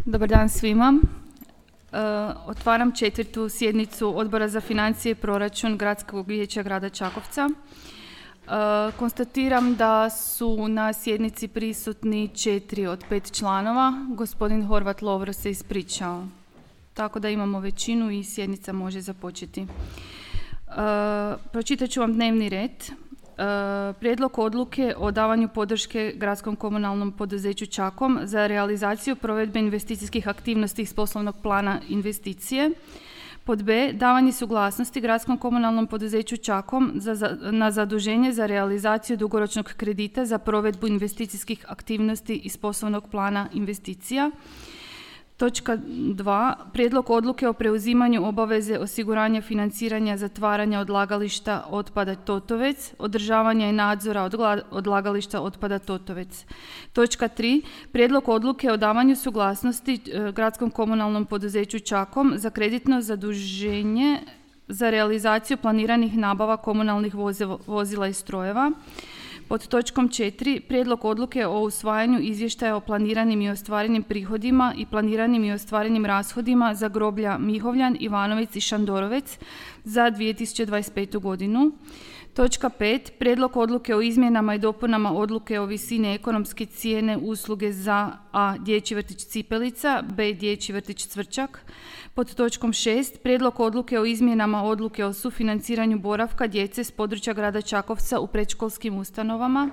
Dobar dan svima. Otvaram 4. sjednicu Odbora za financije i proračun Gradskog vijeća grada Čakovca. Konstatiram da su na sjednici prisutni 4 od 5 članova. Gospodin Horvat Lovro se ispričao. Tako da imamo većinu i sjednica može započeti. Pročitat ću vam dnevni red. Prijedlog odluke o davanju podrške gradskom komunalnom poduzeću Čakom za realizaciju provedbe investicijskih aktivnosti iz poslovnog plana investicije. Pod B. Davanje suglasnosti gradskom komunalnom poduzeću Čakom na zaduženje za realizaciju dugoročnog kredita za provedbu investicijskih aktivnosti iz poslovnog plana investicija. Točka 2. Prijedlog odluke o preuzimanju obaveze osiguranja financiranja zatvaranja odlagališta otpada Totovec, održavanja i nadzora odlagališta otpada Totovec. Točka 3. Prijedlog odluke o davanju suglasnosti gradskom komunalnom poduzeću Čakom za kreditno zaduženje za realizaciju planiranih nabava komunalnih vozila i strojeva. Pod točkom 4. Prijedlog odluke o usvajanju izvještaja o planiranim i ostvarenim prihodima i planiranim i ostvarenim rashodima za groblja Mihovljan, Ivanovec i Šandorovec za 2025. godinu. Točka 5. Prijedlog odluke o izmjenama i dopunama odluke o visini ekonomske cijene usluge za A. Dječji vrtić Cipelica, B. Dječji vrtić Cvrčak. Pod točkom 6. Prijedlog odluke o izmjenama odluke o sufinanciranju boravka djece s područja grada Čakovca u predškolskim ustanovama.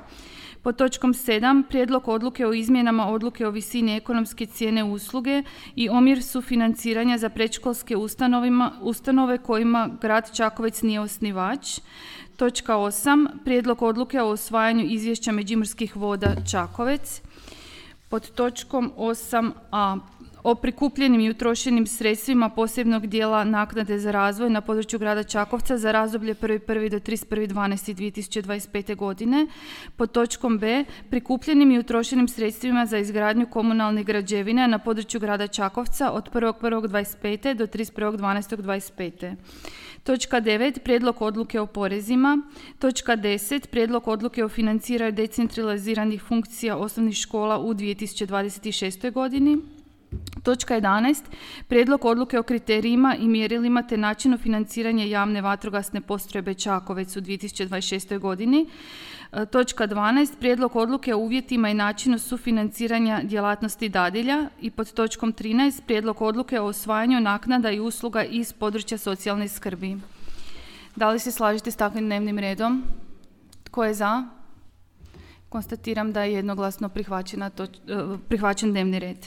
Pod točkom 7. Prijedlog odluke o izmjenama odluke o visini ekonomske cijene usluge i omjer sufinanciranja za predškolske ustanove kojima grad Čakovec nije osnivač. Točka 8. Prijedlog odluke o usvajanju izvješća Međimurskih voda Čakovec. Pod točkom 8a. O prikupljenim i utrošenim sredstvima posebnog dijela naknade za razvoj na području grada Čakovca za razdoblje 1.1. do 31.12.2025. godine. Pod točkom B. Prikupljenim i utrošenim sredstvima za izgradnju komunalnih građevina na području grada Čakovca od 1.1.25. do 31.12.25. Točka 9. Prijedlog odluke o porezima. Točka 10. Prijedlog odluke o financiranju decentraliziranih funkcija osnovnih škola u 2026. godini. Točka 11. Prijedlog odluke o kriterijima i mjerilima te načinu financiranja javne vatrogasne postrojbe Čakovec u 2026. godini. Točka 12. Prijedlog odluke o uvjetima i načinu sufinanciranja djelatnosti dadilja. I pod točkom 13. Prijedlog odluke o usvajanju naknada i usluga iz područja socijalne skrbi. Da li se slažete s takvim dnevnim redom? Tko je za? Konstatiram da je jednoglasno prihvaćen dnevni red.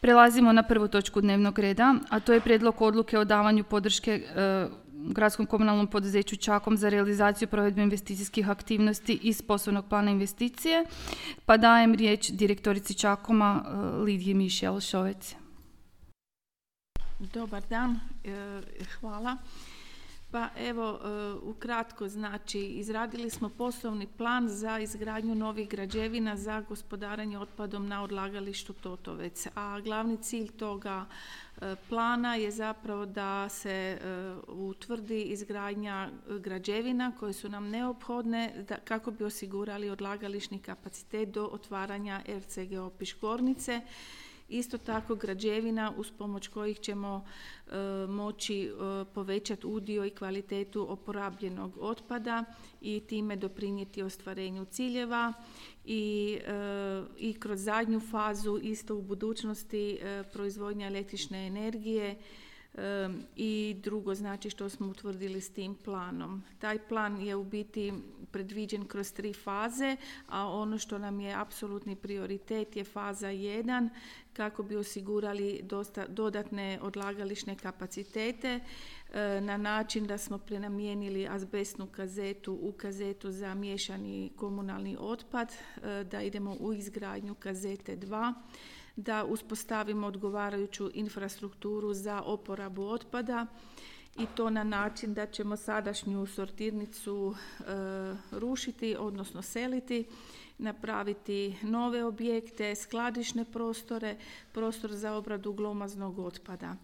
Prelazimo na prvu točku dnevnog reda, a to je prijedlog odluke o davanju podrške gradskom komunalnom poduzeću Čakom za realizaciju provedbe investicijskih aktivnosti iz poslovnog plana investicije. Pa dajem riječ direktorici Čakoma Lidiji Mišel Šovec. Dobar dan, hvala. Pa evo, ukratko, znači, izradili smo poslovni plan za izgradnju novih građevina za gospodarenje otpadom na odlagalištu Totovec, a glavni cilj toga plana je zapravo da se utvrdi izgradnja građevina koje su nam neophodne kako bi osigurali odlagališni kapacitet do otvaranja RCGO Piškornice. Isto tako građevina uz pomoć kojih ćemo moći povećati udio i kvalitetu oporabljenog otpada i time doprinijeti ostvarenju ciljeva i kroz zadnju fazu isto u budućnosti proizvodnja električne energije i drugo, znači, što smo utvrdili s tim planom. Taj plan je u biti predviđen kroz 3 faze, a ono što nam je apsolutni prioritet je faza 1 kako bi osigurali dodatne odlagališne kapacitete na način da smo prenamijenili azbestnu kazetu u kazetu za miješani komunalni otpad, da idemo u izgradnju kazete 2, da uspostavimo odgovarajuću infrastrukturu za oporabu otpada i to na način da ćemo sadašnju sortirnicu rušiti, odnosno seliti, napraviti nove objekte, skladišne prostore, prostor za obradu glomaznog otpada.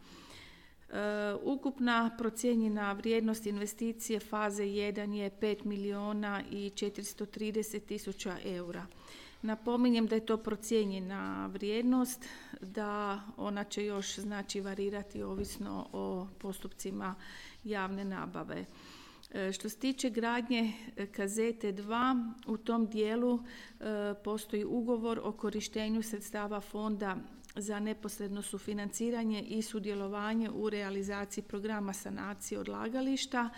Ukupna procijenjena vrijednost investicije faze 1 je 5 milijuna i 430 tisuća eura. Napominjem da je to procijenjena vrijednost, da ona će još znači varirati ovisno o postupcima javne nabave. Što se tiče gradnje kazete 2, u tom dijelu postoji ugovor o korištenju sredstava fonda za neposredno sufinanciranje i sudjelovanje u realizaciji programa sanacije odlagališta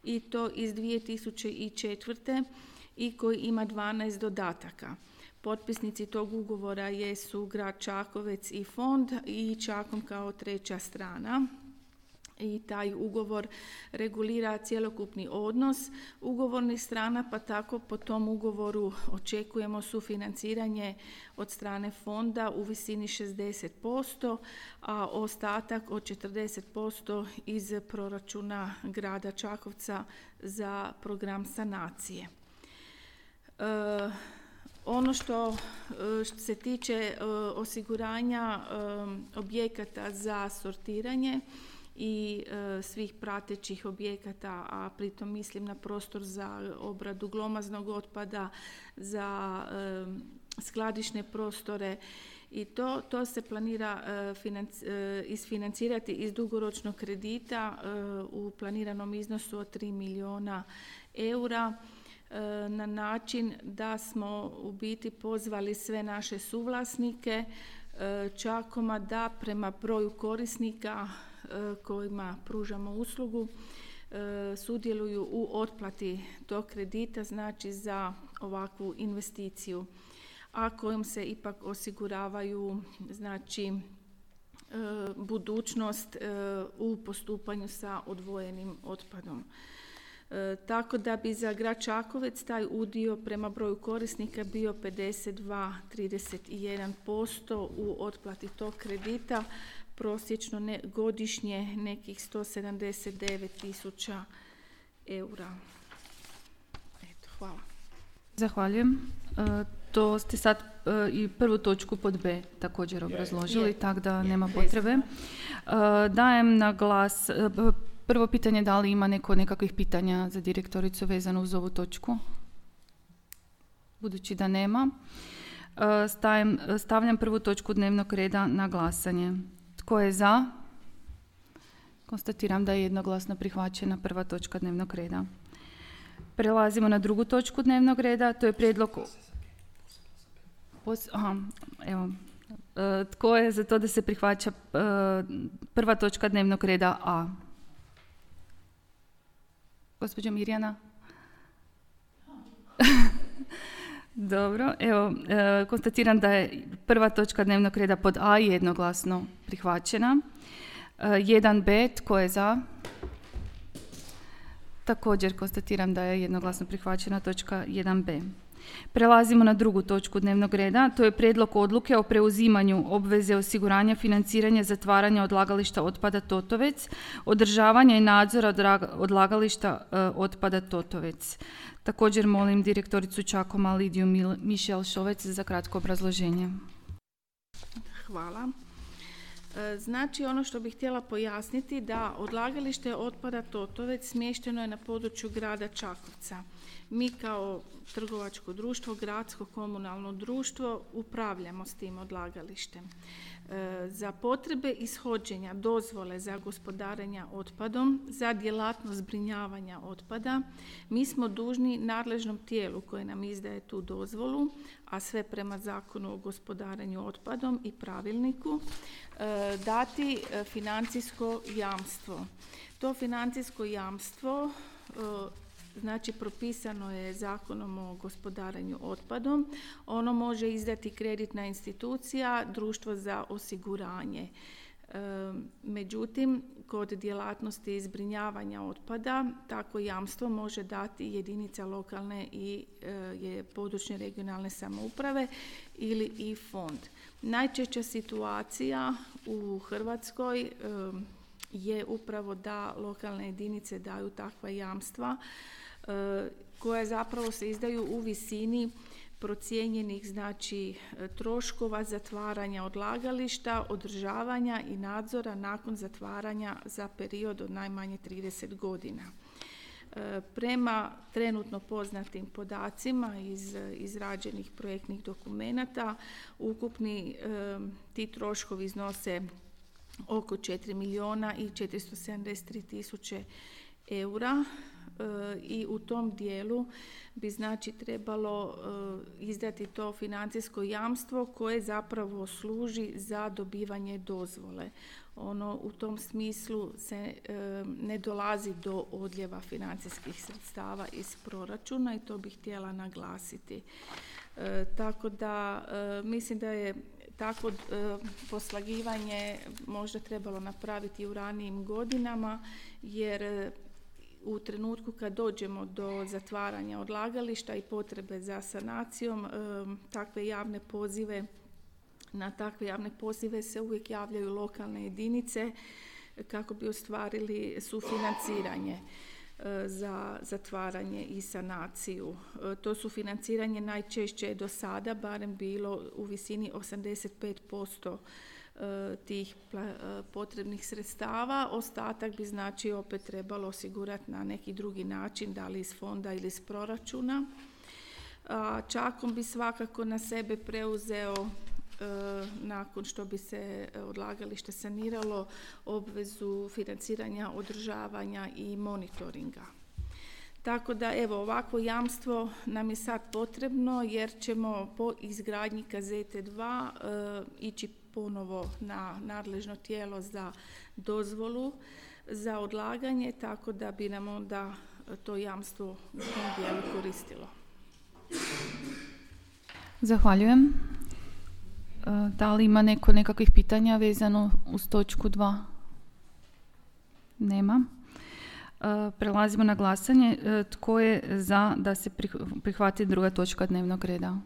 i to iz 2004. i koji ima 12 dodataka. Potpisnici tog ugovora jesu grad Čakovec i fond i Čakom kao treća strana. I taj ugovor regulira cjelokupni odnos ugovornih strana, pa tako po tom ugovoru očekujemo sufinanciranje od strane fonda u visini 60%, a ostatak od 40% iz proračuna grada Čakovca za program sanacije. Ono što se tiče osiguranja objekata za sortiranje i svih pratećih objekata, a pritom mislim na prostor za obradu glomaznog otpada, za skladišne prostore i to se planira isfinancirati iz dugoročnog kredita u planiranom iznosu od 3 milijuna eura na način da smo u biti pozvali sve naše suvlasnike Čakoma da prema broju korisnika kojima pružamo uslugu sudjeluju u otplati tog kredita, znači za ovakvu investiciju, a kojom se ipak osiguravaju znači budućnost u postupanju sa odvojenim otpadom. Tako da bi za grad Čakovec taj udio prema broju korisnika bio 52,31% u otplati tog kredita, prosječno godišnje nekih 179.000 eura. Eto, hvala. Zahvaljujem. To ste sad i prvu točku pod B također obrazložili, tako da nema potrebe. Dajem na glas prvo pitanje, da li ima nekakvih pitanja za direktoricu vezano uz ovu točku? Budući da nema, stavljam prvu točku dnevnog reda na glasanje. Tko je za? Konstatiram da je jednoglasno prihvaćena prva točka dnevnog reda. Prelazimo na drugu točku dnevnog reda, to je prijedlog... Tko je za to da se prihvaća prva točka dnevnog reda A? Gospođa Mirjana? Dobro, evo, konstatiram da je prva točka dnevnog reda pod A jednoglasno prihvaćena. 1B, tko je za? Također konstatiram da je jednoglasno prihvaćena točka 1B. Prelazimo na drugu točku dnevnog reda, to je prijedlog odluke o preuzimanju obveze osiguranja financiranja zatvaranja odlagališta otpada Totovec, održavanja i nadzora odlagališta otpada Totovec. Također molim direktoricu Čakoma Lidiju Mišel Šovec za kratko obrazloženje. Hvala. Znači, ono što bih htjela pojasniti da odlagalište otpada Totovec smješteno je na području grada Čakovca. Mi kao trgovačko društvo, gradsko komunalno društvo, upravljamo s tim odlagalištem. Za potrebe ishođenja dozvole za gospodarenje otpadom, za djelatnost zbrinjavanja otpada, mi smo dužni nadležnom tijelu koje nam izdaje tu dozvolu, a sve prema Zakonu o gospodarenju otpadom i pravilniku, dati financijsko jamstvo. To financijsko jamstvo znači propisano je Zakonom o gospodarenju otpadom. Ono može izdati kreditna institucija, društvo za osiguranje. Međutim, kod djelatnosti zbrinjavanja otpada tako jamstvo može dati jedinica lokalne i područne regionalne samouprave ili i fond. Najčešća situacija u Hrvatskoj je upravo da lokalne jedinice daju takva jamstva koja zapravo se izdaju u visini procijenjenih znači troškova zatvaranja odlagališta, održavanja i nadzora nakon zatvaranja za period od najmanje 30 godina. Prema trenutno poznatim podacima iz izrađenih projektnih dokumenata, ukupni ti troškovi iznose oko 4 milijuna i 473 tisuće eura i u tom dijelu bi znači trebalo izdati to financijsko jamstvo koje zapravo služi za dobivanje dozvole. Ono u tom smislu se ne dolazi do odljeva financijskih sredstava iz proračuna i to bih htjela naglasiti. Tako da mislim da je tako poslagivanje možda trebalo napraviti u ranijim godinama, jer u trenutku kad dođemo do zatvaranja odlagališta i potrebe za sanacijom, na takve javne pozive se uvijek javljaju lokalne jedinice kako bi ostvarili sufinanciranje za zatvaranje i sanaciju. To sufinanciranje najčešće je do sada barem bilo u visini 85% tih potrebnih sredstava. Ostatak bi znači opet trebalo osigurati na neki drugi način, da li iz fonda ili iz proračuna. Čakom bi svakako na sebe preuzeo, nakon što bi se odlagalište saniralo, obvezu financiranja, održavanja i monitoringa. Tako da evo, ovako jamstvo nam je sad potrebno jer ćemo po izgradnji kazete 2 ići ponovo na nadležno tijelo za dozvolu za odlaganje, tako da bi nam onda to jamstvo u tom dijelu koristilo. Zahvaljujem. Da li ima neko nekakvih pitanja vezano uz točku 2? Nema. Prelazimo na glasanje. Tko je za da se prihvati druga točka dnevnog reda?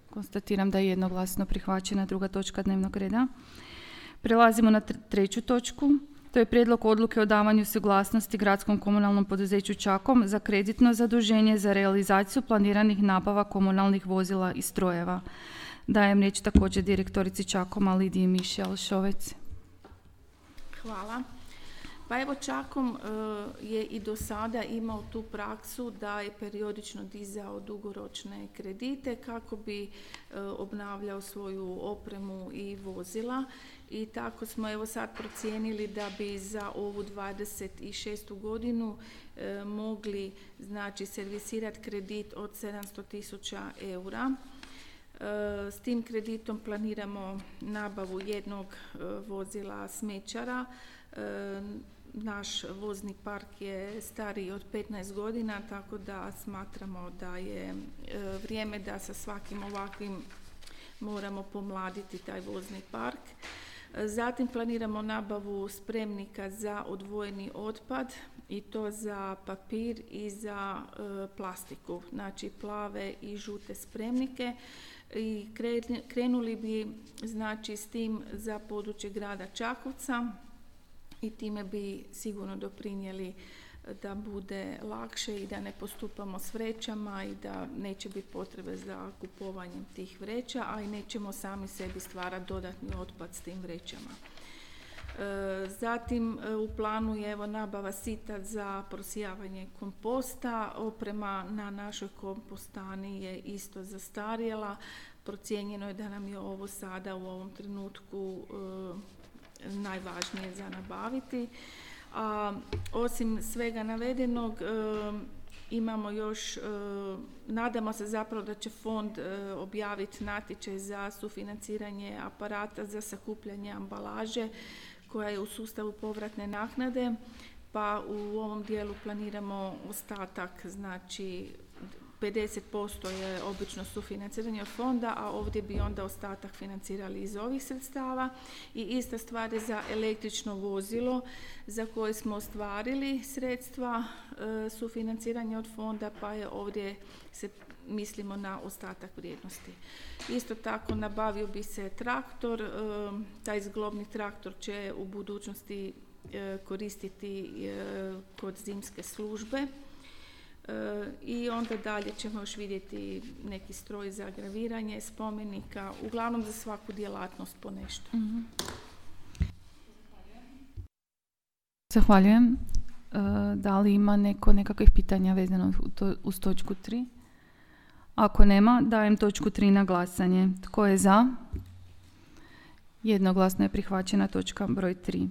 Konstatiram da je jednoglasno prihvaćena druga točka dnevnog reda. Prelazimo na treću točku. To je prijedlog odluke o davanju suglasnosti Gradskom komunalnom poduzeću Čakom za kreditno zaduženje za realizaciju planiranih nabava komunalnih vozila i strojeva. Dajem riječ također direktorici Čakoma Lidiji Mišel Šovec. Hvala. Pa evo, Čakom je i do sada imao tu praksu da je periodično dizao dugoročne kredite kako bi obnavljao svoju opremu i vozila, i tako smo evo sad procijenili da bi za ovu 26. godinu mogli znači servisirati kredit od 700.000 eura. S tim kreditom planiramo nabavu jednog vozila smećara. Naš vozni park je stariji od 15 godina, tako da smatramo da je vrijeme da sa svakim ovakvim moramo pomladiti taj vozni park. Zatim planiramo nabavu spremnika za odvojeni otpad, i to za papir i za plastiku, znači plave i žute spremnike. I krenuli bi znači s tim za područje grada Čakovca i time bi sigurno doprinijeli da bude lakše i da ne postupamo s vrećama i da neće biti potrebe za kupovanjem tih vreća, a i nećemo sami sebi stvarati dodatni otpad s tim vrećama. Zatim u planu je evo nabava sita za prosijavanje komposta. Oprema na našoj kompostani je isto zastarjela. Procijenjeno je da nam je ovo sada u ovom trenutku najvažnije za nabaviti. Osim svega navedenog, imamo još, nadamo se zapravo da će fond objaviti natječaj za sufinanciranje aparata za sakupljanje ambalaže koja je u sustavu povratne naknade, pa u ovom dijelu planiramo ostatak, znači 50% je obično sufinanciranje od fonda, a ovdje bi onda ostatak financirali iz ovih sredstava. I ista stvar je za električno vozilo za koje smo ostvarili sredstva sufinanciranja od fonda, pa je ovdje se mislimo na ostatak vrijednosti. Isto tako nabavio bi se traktor, taj zglobni traktor će u budućnosti koristiti kod zimske službe. I onda dalje ćemo još vidjeti neki stroj za graviranje spomenika, uglavnom za svaku djelatnost po nešto. Zahvaljujem. Da li ima nekakvih pitanja vezano uz točku 3? Ako nema, dajem točku 3 na glasanje. Tko je za? Jednoglasno je prihvaćena točka broj 3.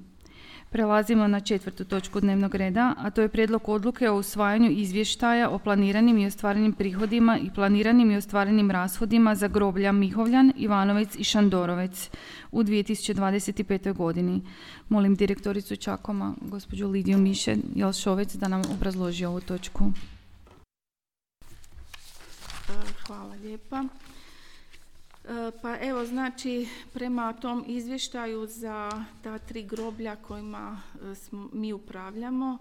Prelazimo na 4. točku dnevnog reda, a to je prijedlog odluke o usvajanju izvještaja o planiranim i ostvarenim prihodima i planiranim i ostvarenim rashodima za groblja Mihovljan, Ivanovec i Šandorovec u 2025. godini. Molim direktoricu Čakoma, gospođu Lidiju Miše Jelšovec, da nam obrazloži ovu točku. Hvala lijepa. Pa evo, znači, prema tom izvještaju za ta 3 groblja kojima mi upravljamo,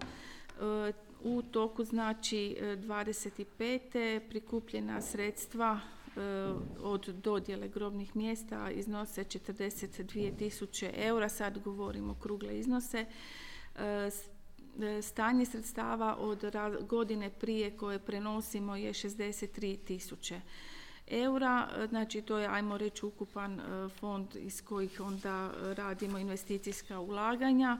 u toku, znači, 25. prikupljena sredstva od dodjele grobnih mjesta iznose 42.000 eura, sad govorimo okrugle iznose. Stanje sredstava od godine prije koje prenosimo je 63.000 eura, znači to je, ajmo reći, ukupan fond iz kojih onda radimo investicijska ulaganja.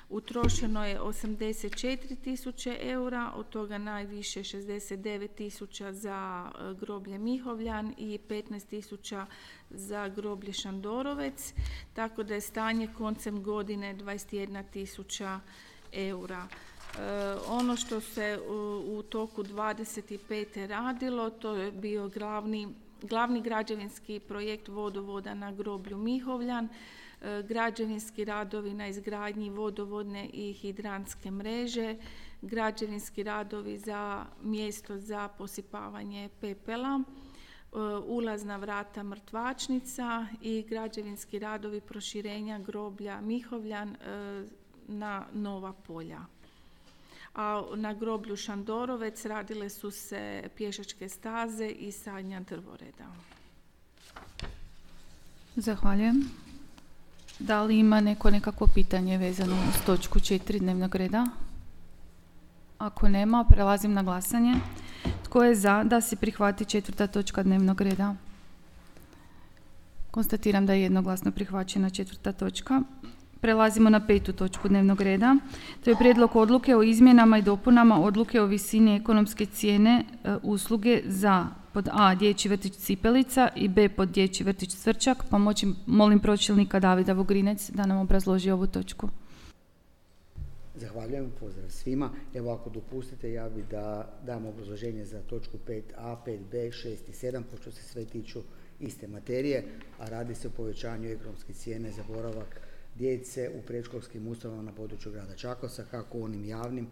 Utrošeno je 84.000 eura, od toga najviše 69.000 za groblje Mihovljan i 15.000 za groblje Šandorovec, tako da je stanje koncem godine 21.000 eura. Ono što se u toku 25. radilo, to je bio glavni građevinski projekt vodovoda na groblju Mihovljan, građevinski radovi na izgradnji vodovodne i hidrantske mreže, građevinski radovi za mjesto za posipavanje pepela, ulazna vrata mrtvačnica i građevinski radovi proširenja groblja Mihovljan na nova polja. A na groblju Šandorovec radile su se pješačke staze i sadnja drvoreda. Zahvaljujem. Da li ima nekakvo pitanje vezano uz točku 4 dnevnog reda? Ako nema, prelazim na glasanje. Tko je za da se prihvati 4. točka dnevnog reda? Konstatiram da je jednoglasno prihvaćena 4. točka. Prelazimo na 5. točku dnevnog reda. To je prijedlog odluke o izmjenama i dopunama odluke o visini ekonomske cijene usluge za pod A dječji vrtić Cipelica i B pod dječji vrtić Cvrčak, pa molim pročelnika Davida Vugrinec da nam obrazloži ovu točku. Zahvaljujem, pozdrav svima. Evo, ako dopustite, ja bih da dam obrazloženje za točku 5a, 5b, 6 i 7, pošto se sve tiču iste materije, a radi se o povećanju ekonomske cijene za boravak djece u predškolskim ustanovama na području grada Čakovca, kako onim javnim,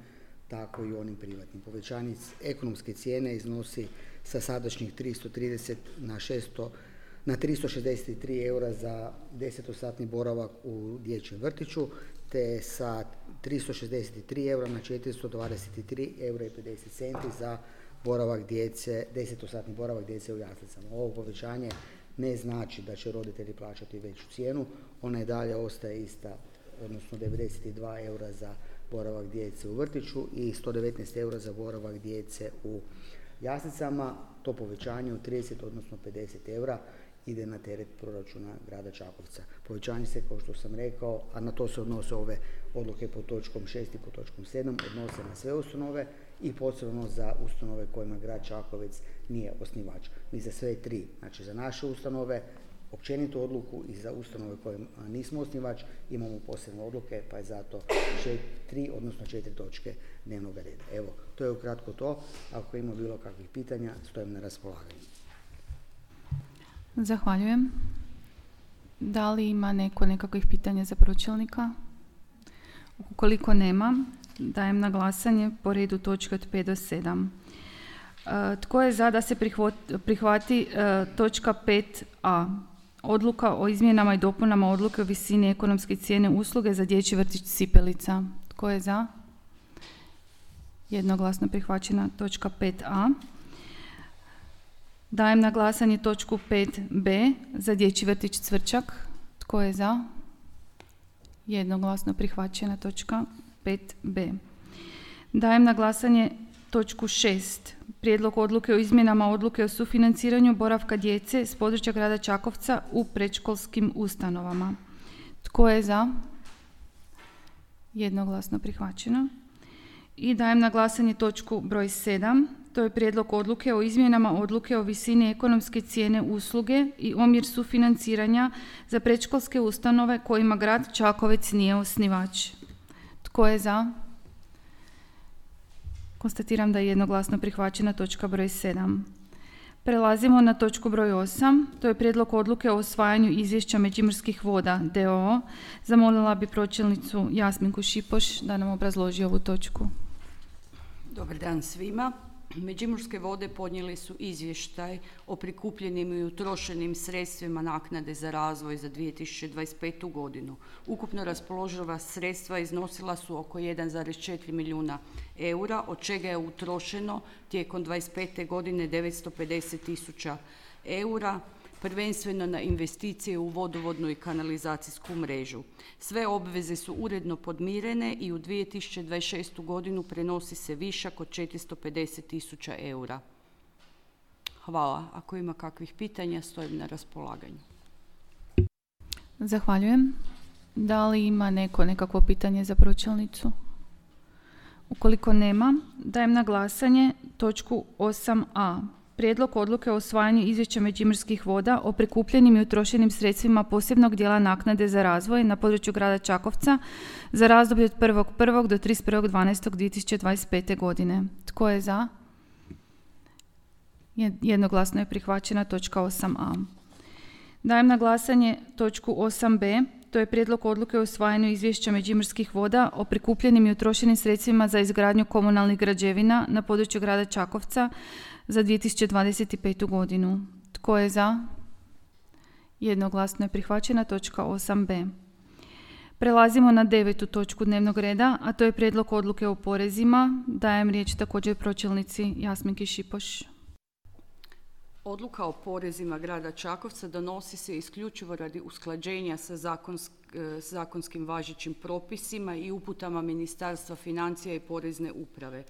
tako i onim privatnim. Povećanje ekonomske cijene iznosi sa sadašnjih 330 na 363 eura za 10-satni boravak u dječjem vrtiću, te sa 363 eura na 423 eura i 50 centi za boravak djece, 10-satni boravak djece u jaslicama. Ovo povećanje ne znači da će roditelji plaćati veću cijenu, ona i dalje ostaje ista, odnosno 92 eura za boravak djece u vrtiću i 119 eura za boravak djece u jaslicama. To povećanje od 30, odnosno 50 eura ide na teret proračuna grada Čakovca. Povećanje se, kao što sam rekao, a na to se odnose ove odluke pod točkom 6 i pod točkom 7, odnose na sve ustanove i posebno za ustanove kojima grad Čakovec nije osnivač. Mi za sve 3, znači za naše ustanove, općenitu odluku i za ustanove kojima nismo osnivač imamo posebne odluke, pa je zato 3, odnosno 4 točke dnevnog reda. Evo, to je ukratko to. Ako ima bilo kakvih pitanja, stojim na raspolaganju. Zahvaljujem. Da li ima nekakvih pitanja za pročelnika? Ukoliko nema, dajem na glasanje po redu točke od 5 do 7. Tko je za da se prihvati točka 5a? Odluka o izmjenama i dopunama odluke o visini ekonomske cijene usluge za dječji vrtić Cipelica. Tko je za? Jednoglasno prihvaćena točka 5a. Dajem na glasanje točku 5b za dječji vrtić Cvrčak. Tko je za? Jednoglasno prihvaćena točka 5b. Dajem na glasanje točku 6. Prijedlog odluke o izmjenama odluke o sufinanciranju boravka djece s područja grada Čakovca u predškolskim ustanovama. Tko je za? Jednoglasno prihvaćeno. I dajem na glasanje točku broj 7. To je prijedlog odluke o izmjenama odluke o visini ekonomske cijene usluge i omjer sufinanciranja za predškolske ustanove kojima grad Čakovec nije osnivač. Tko je za? Konstatiram da je jednoglasno prihvaćena točka broj 7. Prelazimo na točku broj 8. To je prijedlog odluke o usvajanju izvješća Međimurskih voda d.o.o. Zamolila bi pročelnicu Jasminku Šipoš da nam obrazloži ovu točku. Dobar dan svima. Međimurske vode podnijeli su izvještaj o prikupljenim i utrošenim sredstvima naknade za razvoj za 2025. godinu. Ukupno raspoloživa sredstva iznosila su oko 1,4 milijuna eura, od čega je utrošeno tijekom 2025. godine 950.000 eura, prvenstveno na investicije u vodovodnu i kanalizacijsku mrežu. Sve obveze su uredno podmirene i u 2026. godinu prenosi se višak od 450.000 eura. Hvala. Ako ima kakvih pitanja, stojim na raspolaganju. Zahvaljujem. Da li ima nekakvo pitanje za pročelnicu? Ukoliko nema, dajem na glasanje točku 8a. Prijedlog odluke o usvajanju izvješća Međimurskih voda o prikupljenim i utrošenim sredstvima posebnog dijela naknade za razvoj na području grada Čakovca za razdoblje od 1.1. do 31.12.2025. godine. Tko je za? Jednoglasno je prihvaćena točka 8a. Dajem na glasanje točku 8b. To je prijedlog odluke o usvajanju izvješća Međimurskih voda o prikupljenim i utrošenim sredstvima za izgradnju komunalnih građevina na području grada Čakovca za 2025. godinu. Tko je za? Jednoglasno je prihvaćena točka 8b. Prelazimo na 9. točku dnevnog reda, a to je prijedlog odluke o porezima. Dajem riječ također pročelnici Jasminki Šipoš. Odluka o porezima grada Čakovca donosi se isključivo radi usklađenja sa zakonskim važećim propisima i uputama Ministarstva financija i Porezne uprave.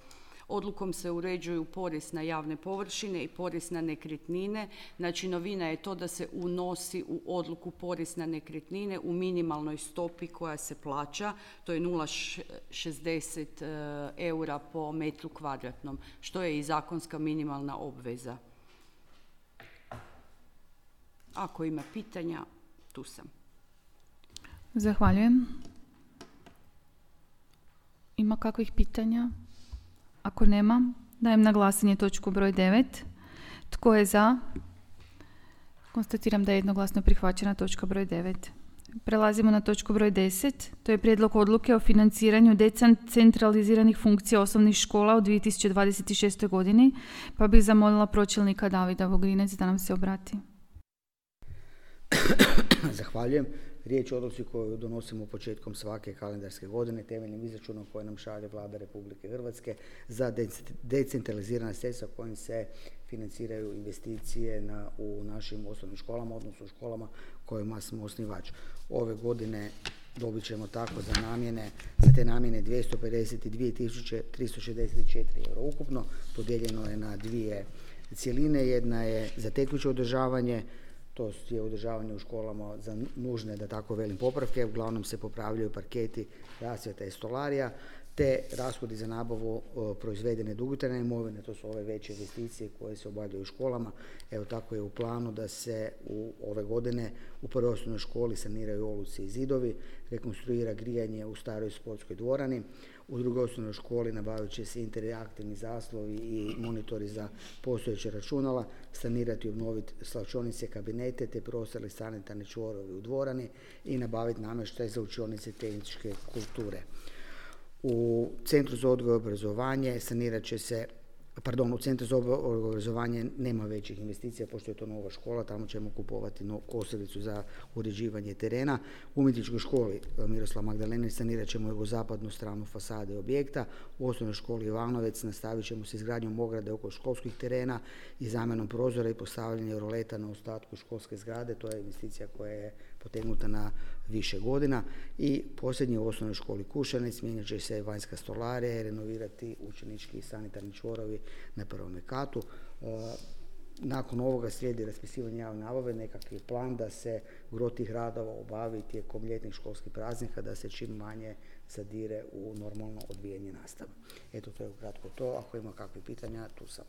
Odlukom se uređuju porez na javne površine i porez na nekretnine. Znači, novina je to da se unosi u odluku porez na nekretnine u minimalnoj stopi koja se plaća. To je 0,60 eura po metru kvadratnom, što je i zakonska minimalna obveza. Ako ima pitanja, tu sam. Zahvaljujem. Ima kakvih pitanja? Ako nema, dajem na glasanje točku broj 9. Tko je za? Konstatiram da je jednoglasno prihvaćena točka broj 9. Prelazimo na točku broj 10. To je prijedlog odluke o financiranju decentraliziranih funkcija osnovnih škola u 2026. godini, pa bih zamolila pročelnika Davida Vogrinec da nam se obrati. Zahvaljujem. Riječ je o odluci koju donosimo početkom svake kalendarske godine temeljnim izračunom koje nam šalje Vlada Republike Hrvatske za decentralizirana sredstva kojim se financiraju investicije u našim osnovnim školama, odnosno u školama kojima smo osnivač. Ove godine dobit ćemo tako za te namjene 252.364 euro ukupno. Podijeljeno je na dvije cjeline. Jedna je za tekuće održavanje, to je održavanje u školama za nužne, da tako velim, popravke. Uglavnom se popravljaju parketi, rasvjeta i stolarija, te rashodi za nabavu proizvedene dugotrajne imovine. To su ove veće investicije koje se obavljaju u školama. Evo, tako je u planu da se ove godine u prvoj osnovnoj školi saniraju oluci i zidovi, rekonstruira grijanje u staroj sportskoj dvorani. U drugoj osnovnoj školi nabavit će se interaktivni zaslovi i monitori za postojeće računala, sanirati i obnoviti svlačionice, kabinete te prostore sanitarne čvorovi u dvorani i nabaviti namještaj za učionice tehničke kulture. U Centru za odgoj i obrazovanje u Centru za obrazovanje nema većih investicija, pošto je to nova škola, tamo ćemo kupovati kosilicu za uređivanje terena. U umjetničkoj školi Miroslav Magdalenić sanirat ćemo jugozapadnu stranu fasade objekta. U osnovnoj školi Ivanovec nastavit ćemo s izgradnjom ograde oko školskih terena i zamjenom prozora i postavljanje roleta na ostatku školske zgrade. To je investicija koja je potegnuta na više godina. I posljednje, u osnovnoj školi Kušanec mijenjat će se vanjska stolarija i renovirati učenički i sanitarni čvorovi na prvom katu. nakon ovoga slijedi raspisivanje javne nabave, nekakvi plan da se gro tih radova obavi tijekom ljetnih školskih praznika, da se čim manje zadire u normalno odvijanje nastave. Eto, to je ukratko to. Ako ima kakvih pitanja, tu sam.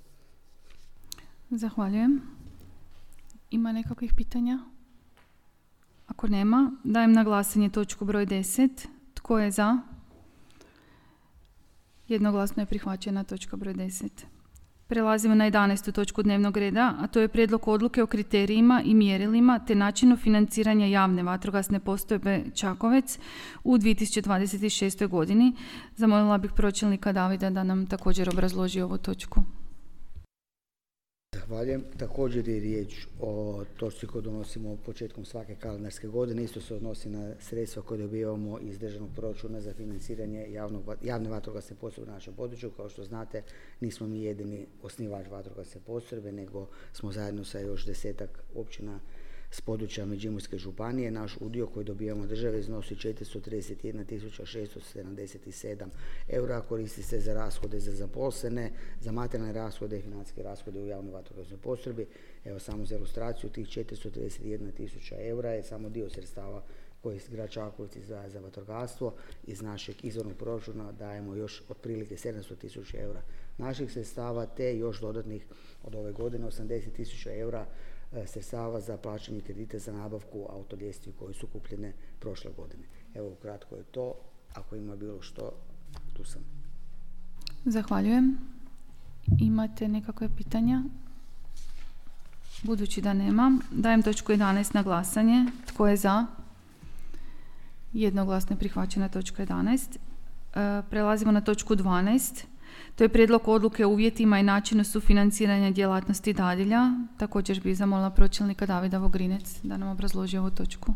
Zahvaljujem. Ima nekakvih pitanja? Ako nema, dajem na glasanje točku broj 10. Tko je za? Jednoglasno je prihvaćena točka broj 10. Prelazimo na 11. točku dnevnog reda, a to je prijedlog odluke o kriterijima i mjerilima te načinu financiranja javne vatrogasne postrojbe Čakovec u 2026. godini. Zamolila bih pročelnika Davida da nam također obrazloži ovu točku. Zahvaljujem. Također je riječ o točci koju donosimo početkom svake kalendarske godine. Isto se odnosi na sredstva koje dobivamo iz državnog proračuna za financiranje javne vatrogasne postrojbe na našem području. Kao što znate, nismo mi jedini osnivač vatrogasne postrojbe, nego smo zajedno sa još 10-ak općina s područja Međimurske županije. Naš udio koji dobijamo od države iznosi 431.677 eura, koristi se za rashode za zaposlene, za materijalne rashode i financijske rashode u javnoj vatrogasnoj postrojbi. Evo samo za ilustraciju, tih 431.000 eura je samo dio sredstava koji grad Čakovec izdvaja za vatrogastvo. Iz našeg izvornog proračuna dajemo još otprilike 700.000 eura naših sredstava, te još dodatnih od ove godine 80.000 eura sredstava za plaćanje kredita za nabavku autoljestvi koje su kupljene prošle godine. Evo, ukratko je to. Ako ima bilo što, tu sam. Zahvaljujem. Imate nekakve pitanja? Budući da nemam, dajem točku 11 na glasanje. Tko je za? Jednoglasno je prihvaćena točka 11. Prelazimo na točku 12. To je prijedlog odluke o uvjetima i načinu sufinanciranja djelatnosti dadilja. Također bih zamolila pročelnika Davida Vogrinec da nam obrazloži ovu točku.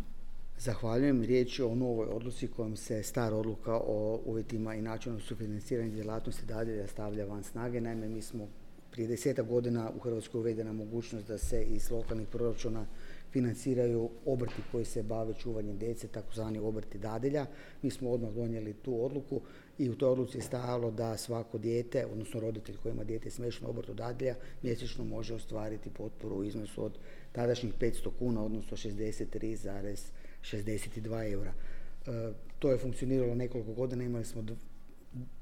Zahvaljujem. Riječ je o novoj odluci kojom se stara odluka o uvjetima i načinu sufinanciranja djelatnosti dadilja stavlja van snage. Naime, mi smo prije 10 godina u Hrvatskoj uvedena mogućnost da se iz lokalnih proračuna financiraju obrti koji se bave čuvanjem djece, takozvani obrti dadilja. Mi smo odmah donijeli tu odluku i u toj odluci je stajalo da svako dijete, odnosno roditelj koji ima dijete smješteno u obrtu dadilja, mjesečno može ostvariti potporu u iznosu od tadašnjih 500 kuna, odnosno 63,62 eura. To je funkcioniralo nekoliko godina, imali smo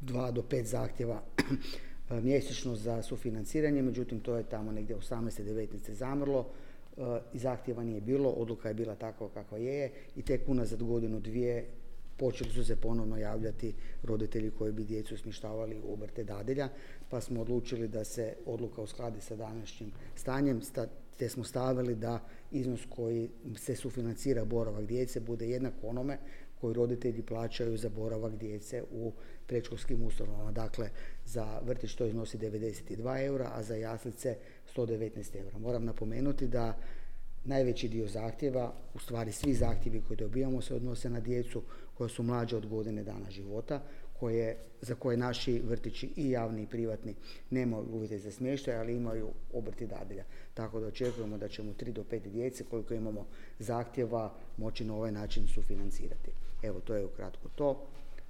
2 do 5 zahtjeva mjesečno za sufinanciranje, međutim to je tamo negdje 18. 19. zamrlo. I zahtjeva nije bilo, odluka je bila takva kakva je i tek unazad godinu, dvije počeli su se ponovno javljati roditelji koji bi djecu smještavali u obrte dadilja, pa smo odlučili da se odluka uskladi sa današnjim stanjem, te smo stavili da iznos koji se sufinancira boravak djece bude jednak onome koji roditelji plaćaju za boravak djece u predškolskim ustanovama. Dakle, za vrtić to iznosi 92 eura, a za jaslice 119 eura. Moram napomenuti da najveći dio zahtjeva, u stvari svi zahtjevi koje dobijamo se odnose na djecu koja su mlađe od godine dana života, za koje naši vrtići i javni i privatni nemaju uvjete za smještaj, ali imaju obrti dadilja. Tako da očekujemo da ćemo 3 do 5 djece koliko imamo zahtjeva moći na ovaj način sufinancirati. Evo, to je ukratko to.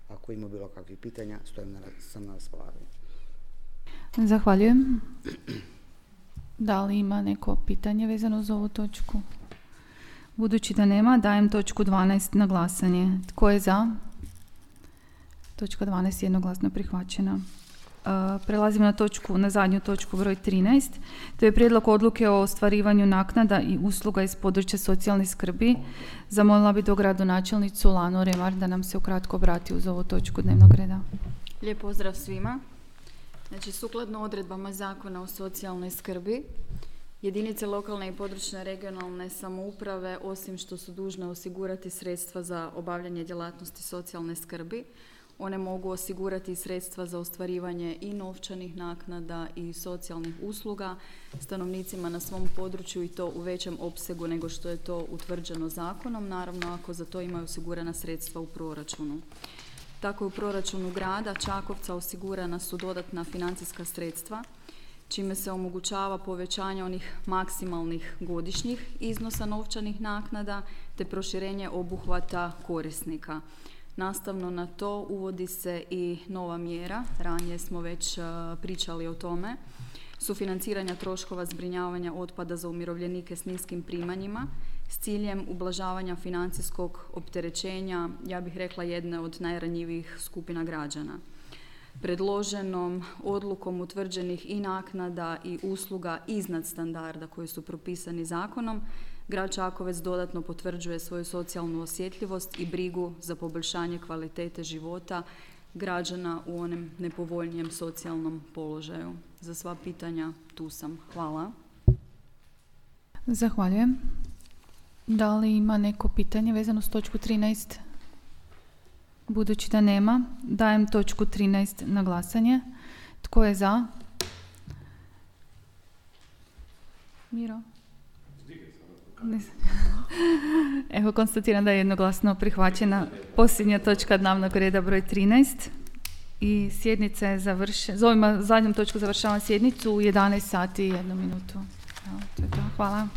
Ako ima bilo kakvih pitanja, sam na raspolaganju. Zahvaljujem. Da li ima neko pitanje vezano za ovu točku? Budući da nema, dajem točku 12 na glasanje. Tko je za? Točka 12 jednoglasno prihvaćena. Prelazimo na zadnju točku broj 13. To je prijedlog odluke o ostvarivanju naknada i usluga iz područja socijalne skrbi. Zamolila bi dogradonačelnicu Lanu Remar da nam se ukratko obrati uz ovu točku dnevnog reda. Lijep pozdrav svima. Znači, sukladno odredbama Zakona o socijalnoj skrbi, jedinice lokalne i područne regionalne samouprave, osim što su dužne osigurati sredstva za obavljanje djelatnosti socijalne skrbi, one mogu osigurati sredstva za ostvarivanje i novčanih naknada i socijalnih usluga stanovnicima na svom području i to u većem opsegu nego što je to utvrđeno zakonom, naravno ako za to imaju osigurana sredstva u proračunu. Tako je u proračunu grada Čakovca osigurana su dodatna financijska sredstva, čime se omogućava povećanje onih maksimalnih godišnjih iznosa novčanih naknada te proširenje obuhvata korisnika. Nastavno na to uvodi se i nova mjera, ranije smo već pričali o tome, sufinanciranja troškova zbrinjavanja otpada za umirovljenike s niskim primanjima s ciljem ublažavanja financijskog opterećenja, ja bih rekla, jedne od najranjivijih skupina građana. Predloženom odlukom utvrđenih i naknada i usluga iznad standarda koji su propisani zakonom, grad Čakovec dodatno potvrđuje svoju socijalnu osjetljivost i brigu za poboljšanje kvalitete života građana u onom nepovoljnijem socijalnom položaju. Za sva pitanja tu sam. Hvala. Zahvaljujem. Da li ima neko pitanje vezano s točku 13? Budući da nema, dajem točku 13 na glasanje. Tko je za? Miro? Evo, konstatiram da je jednoglasno prihvaćena posljednja točka dnevnog reda broj 13 i sjednica je završena. Zovimo zadnjom točku završavam sjednicu u 11 sati i 1 minutu. Evo, to je to. Hvala.